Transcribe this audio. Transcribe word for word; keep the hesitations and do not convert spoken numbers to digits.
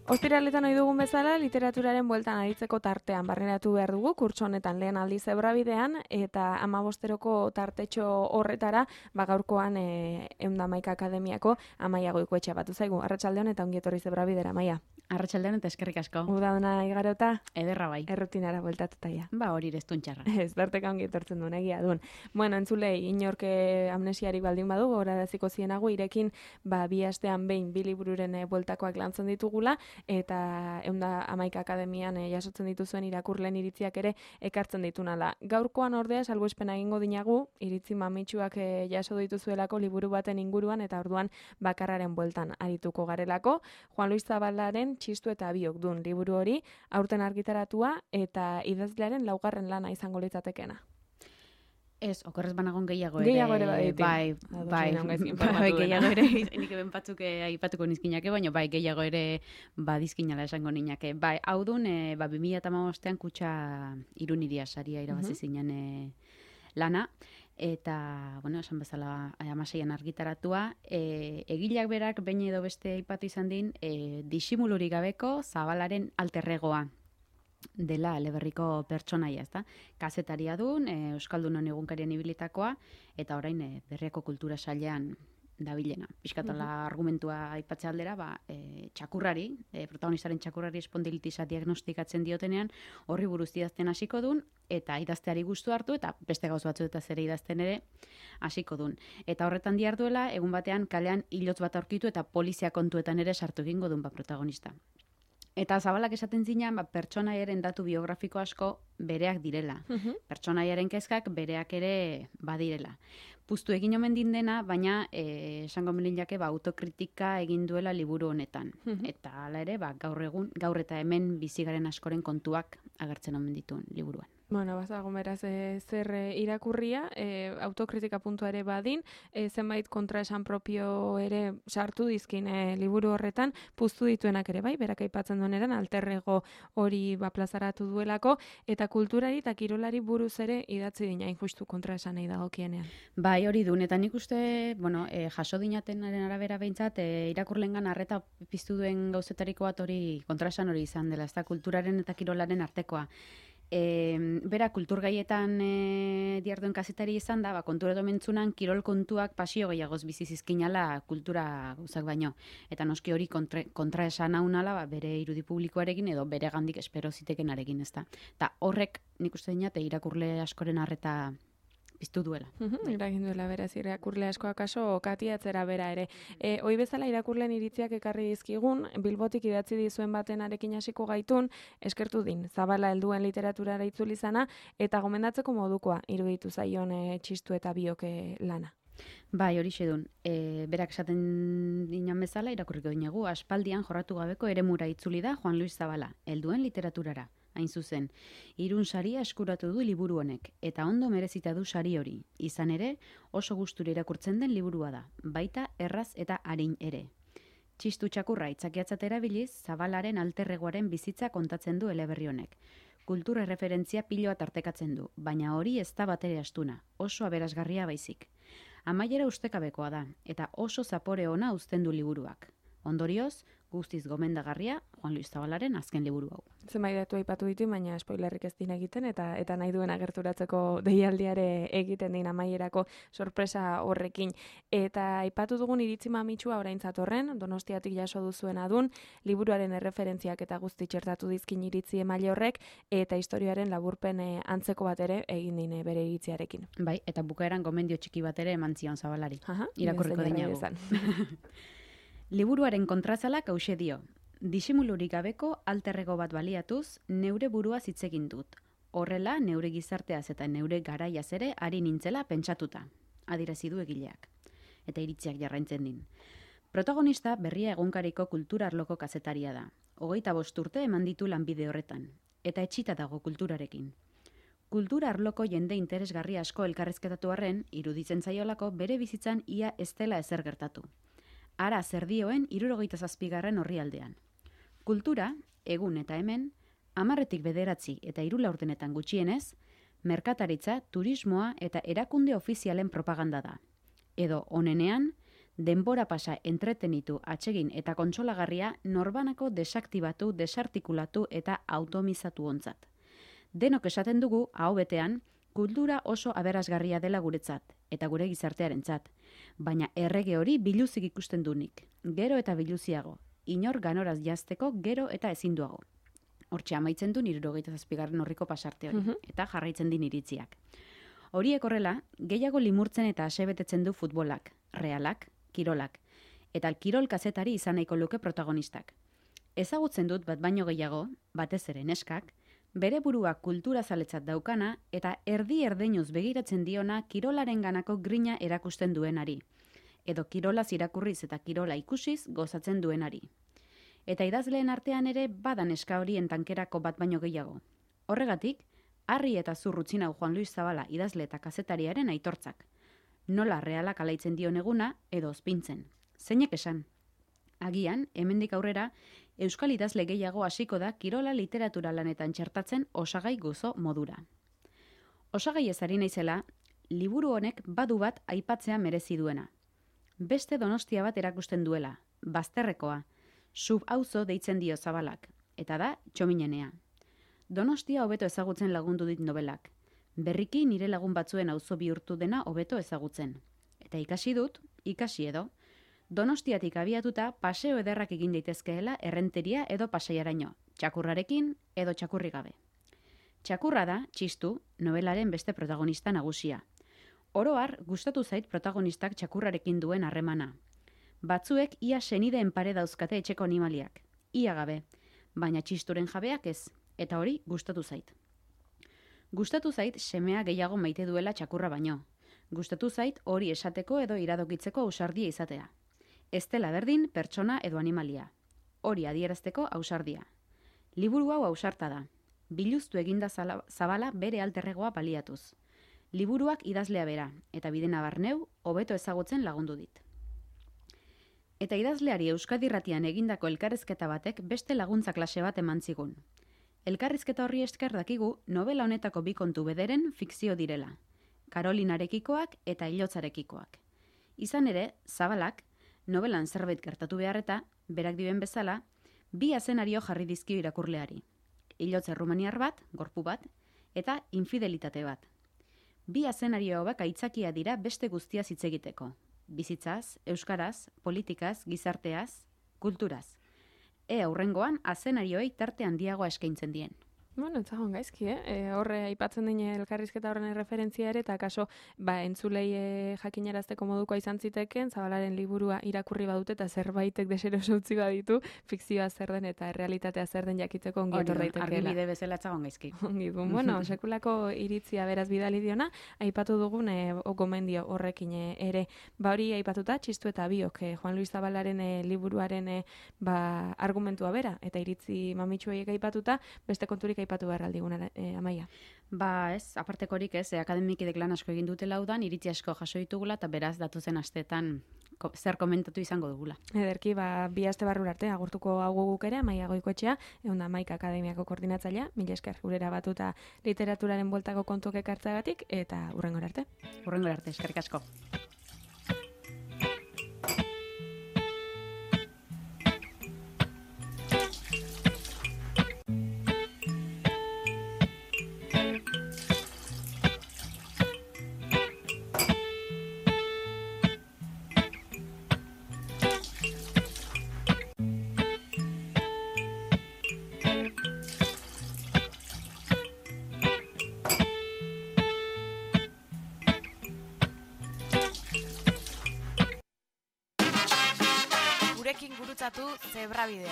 Ostiraletan ohi dugun bezala, literaturaren bueltan aritzeko tartean barneratu behar dugu, kurtso honetan lehen aldiz Zebrabidean, eta hamabosteroko tartetxo horretara, ba gaurkoan e, ehun eta hamaika akademiako Amaia Goikoetxea batu zaigu. Arratsaldeon eta ongi etorri Zebrabidera, Amaia. Arratsaldeon eta eskerrik asko. Udaduna igarota? Ederra bai. Errutinara bueltatuta ja. Ba hori restun txarra. Ez, tarteka ongi etortzen duen egia duen. Bueno, entzulei, inorke amnesiari baldin badu, goraraziko zienago, irekin, ba, bi astean behin bi libururen e, bueltakoak lantzen ditugula, eta ehun eta hamaika akademian e, jasotzen dituzuen irakurleen iritziak ere ekartzen ditunala. Gaurkoan ordea salbuespena egingo dinagu, iritzi mamitsuak e, jaso dituzuelako liburu baten inguruan eta orduan bakarraren bueltan arituko garelako. Juan Luis Zabalaren Txistu eta biok dun liburu hori, aurten argitaratua eta idazlearen laugarren lana izango litzatekeena. Ez, okorrez banagon gehiago ere. Gehiago ere baditi. Bai, bai, bai, gehiago ere, nik eben batzuk aipatuko nizkinake, baina bai, gehiago ere badizkinala esango ninake. Bai, hau dun, e, ba, bi mila hamabostean kutxa iruniria saria irabazi zinen e, lana, eta, bueno, esan bezala hamaseian argitaratua, e, egileak berak behin edo beste aipatu izan din, e, disimulurik gabeko Zabalaren alterregoa dela eleberriko pertsonaia, ezta? Kazetaria dun, e, Euskaldunon egunkarien ibilitakoa, eta orain e, Berriako Kultura Sailean dabilena. Piskatola uh-huh. argumentua aipatze aldera, ba, e, txakurrari, e, protagonistaren txakurrari espondilitisa diagnostikatzen diotenean, horri buruz idazten hasiko dun, eta idazteari gustu hartu, eta beste gauz batzuetaz ere idazten ere hasiko dun. Eta horretan diarduela, egun batean kalean hilotz bat aurkitu eta polizia kontuetan ere sartu egingo dun ba protagonista. Eta Zabalak esaten zinean, ba, pertsonaiaren datu biografiko asko bereak direla. Uh-huh. Pertsonaiaren kezkak bereak ere badirela. Puztu egin omen din dena, baina eh, esango melinjake ba, autokritika egin duela liburu honetan. Uh-huh. Eta hala ere, ba, gaur egun, gaur eta hemen bizigaren askoren kontuak agertzen omen dituen liburuan. Bueno, bazago beraz e, zer e, irakurria, e, autokritika puntua ere badin, e, zenbait kontraesan propio ere sartu dizkin e, liburu horretan, puztu dituenak ere bai, berak aipatzen dueneran, alterrego hori ba, plazaratu duelako, eta kulturari eta kirolari buruz ere idatzi dina injustu kontraesanei dagokienean. Bai, hori duen, eta nik uste, bueno, e, jaso dinatenaren arabera behintzat, e, irakurlengan arreta piztu duen gauzetariko bat hori kontraesan hori izan dela, ez da kulturaren eta kirolaren artekoa. E, bera, kulturgaietan e, diarduen kazetari izan da, ba, konturatu mentzunan, kirol kontuak pasio gehiagoz bizizizkinala kultura gauzak baino. Eta noski hori kontra, kontra esan haunala, ba, bere irudi publikoarekin edo bere gandik espero zitekenarekin, ez da. Eta horrek, nik uste dinate, irakurle askoren arreta piztu duela. Uh-huh, eragin duela beraz, irakurle asko akaso katiatzera bera ere. E, hoi bezala irakurleen iritziak ekarri dizkigun, Bilbotik idatzi dizuen baten arekin hasiko gaitun, eskertu din, Zabala helduen literaturara itzuli izana, eta gomendatzeko modukoa iruditu zaion e, Txistu eta biok e, lana. Bai, hori xedun. E, berak esaten dinan bezala, irakurriko dinagu, aspaldian jorratu gabeko eremura itzuli da Juan Luis Zabala, helduen literaturara. Hain zuzen, Irun saria eskuratu du liburu honek, eta ondo merezita du sari hori. Izan ere, oso gustura irakurtzen den liburua da, baita erraz eta arin ere. Txistu txakurra itzakiatzat erabiliz, Zabalaren alterregoaren bizitza kontatzen du eleberri honek. Kultura referentzia piloa tartekatzen du, baina hori ez da batere astuna, oso aberasgarria baizik. Amaiera ustekabekoa da, eta oso zapore ona uzten du liburuak. Ondorioz, guztiz gomendagarria Juan Luis Zabalaren azken liburu hau. Zenbait datu aipatu ditu, baina spoilerrik ez din egiten, eta eta nahi duen agerturatzeko deialdiare egiten din amaierako sorpresa horrekin. Eta aipatu dugun iritzi mamitsua orain zatorren, Donostiatik jaso duzuena dun, liburuaren erreferentziak eta guzti txertatu dizkin iritzi emaile horrek, eta historiaren laburpen antzeko bat ere egin dine bere iritziarekin. Bai, eta bukaeran gomendio txiki bat ere eman zion Zabalari. Aha, irakurriko dinagu. Liburuaren kontrazalak hause dio. Disimulurik gabeko alterrego bat baliatuz, neure burua hitz egin dut. Horrela, neure gizarteaz eta neure garaiaz ere ari nintzela pentsatuta. Adierazi du egileak. Eta iritziak jarraintzen din. Protagonista berria egunkariko kultura arloko kazetaria da. Hogeita bost urte eman ditu lanbide horretan. Eta etxita dago kulturarekin. Kultura arloko jende interesgarri asko elkarrezketatu arren, iruditzen zaiolako bere bizitzan ia ez dela ezer gertatu. Ara zer dioen hirurogeita zazpigarren orrialdean. Kultura, egun eta hemen, hamarretik bederatzi eta hiru laurdenetan gutxienez, merkataritza, turismoa eta erakunde ofizialen propaganda da. Edo onenean, denbora pasa entretenitu, atsegin eta kontsolagarria norbanako desaktibatu, desartikulatu eta automizatu ontzat. Denok esaten dugu, aho betean, kultura oso aberasgarria dela guretzat, eta gure gizartearentzat. Baina errege hori biluzik ikusten dunik, gero eta biluziago, inor ganoraz jazteko gero eta ezinduago. Hortxe amaitzen du hirurogeita zazpigarren horriko pasarte hori, uh-huh. eta jarraitzen din iritziak. Horiek horrela, gehiago limurtzen eta asebetetzen du futbolak, realak, kirolak, eta kirol kazetari izan nahiko luke protagonistak. Ezagutzen dut bat baino gehiago, batez ere neskak, bere burua kultura zaletzat daukana eta erdi erdeinuz begiratzen diona kirolaren ganako grina erakusten duenari, edo kirolaz irakurriz eta kirola ikusiz gozatzen duenari. Eta idazleen artean ere badan eska horien tankerako bat baino gehiago. Horregatik, harri eta zurrutzin hau Juan Luis Zabala idazle eta kazetariaren aitortzak. Nola realak alaitzen dion eguna edo ospintzen. Zeinek esan? Agian, hemendik aurrera, euskal idazle gehiago hasiko da kirola literatura lanetan txertatzen osagai gozo modura. Osagai ez ari naizela, liburu honek badu bat aipatzea merezi duena. Beste Donostia bat erakusten duela, bazterrekoa, sub-auzo deitzen dio Zabalak, eta da Txominenea. Donostia hobeto ezagutzen lagundu dit nobelak. Berriki nire lagun batzuen auzo bihurtu dena hobeto ezagutzen. Eta ikasi dut, ikasi edo, Donostiatik abiatuta paseo ederrak egin daitezkeela errenteria edo pasaiaraino, txakurrarekin edo txakurri gabe. Txakurra da, txistu, nobelaren beste protagonista nagusia. Oro har, gustatu zait protagonistak txakurrarekin duen harremana. Batzuek ia senideen pare dauzkate etxeko animaliak, ia gabe, baina txisturen jabeak ez, eta hori gustatu zait. Gustatu zait semea gehiago maite duela txakurra baino. Gustatu zait hori esateko edo iradokitzeko ausardia izatea. Ez dela berdin pertsona edo animalia. Hori adierazteko ausardia. Liburu hau ausarta da. Biluztu eginda Zabala bere alterregoa baliatuz. Liburuak idazlea bera, eta bidena barneu, hobeto ezagutzen lagundu dit. Eta idazleari Euskadi Irratian egindako elkarrizketa batek beste laguntza klase bat eman zigun. Elkarrizketa horri esker dakigu novela honetako bi kontu bederen fikzio direla. Karolinarekikoak eta Ilotzarekikoak. Izan ere, Zabalak, novelan zerbait gertatu beharreta, berak dioen bezala, bi azenario jarri dizkio irakurleari. Ilotze errumaniar bat, gorpu bat, eta infidelitate bat. Bi azenario hauek aitzakia dira beste guztia hitz egiteko. Bizitzaz, euskaraz, politikaz, gizarteaz, kulturaz. E aurrengoan azenarioei tarte handiagoa eskaintzen dien. Bueno, etzagon gaizki, eh? E, horre aipatzen dine elkarrizketa horren referentzia ere, eta kaso, ba, entzulei e, jakinarazteko modukoa izan ziteken, Zabalaren liburua irakurri badute eta zerbaitek deseroso utzi baditu, fikzioa zer den eta realitatea zer den jakiteko ongi etor daitekeela. Argibide bezala etzagon gaizki. Ongi du. Bueno, sekulako iritzia beraz bidali diona, aipatu dugun e, gomendio horrekin e, ere. Ba hori aipatuta, txistu eta biok, e, Juan Luis Zabalaren e, liburuaren e, ba, argumentua bera, eta iritzi mamitsueiek aipatuta, beste konturik aipatu behar aldiguna, eh, Amaia. Ba ez, apartekorik ez, eh, akademikidek lan asko egin dute laudan, iritzi asko jaso ditugula, eta beraz datuzen asteetan ko, zer komentatu izango dugula. Ederki, ba, bi aste barrura arte, agurtuko hau guk ere, Amaia Goikoetxea, egun da Maika Akademiako koordinatzailea, mila esker gurera batuta literaturaren bueltako kontuak ekartzagatik, eta hurrengora arte. Hurrengora arte, eskerrik asko. Gurekin gurutzatu Zebrabidea.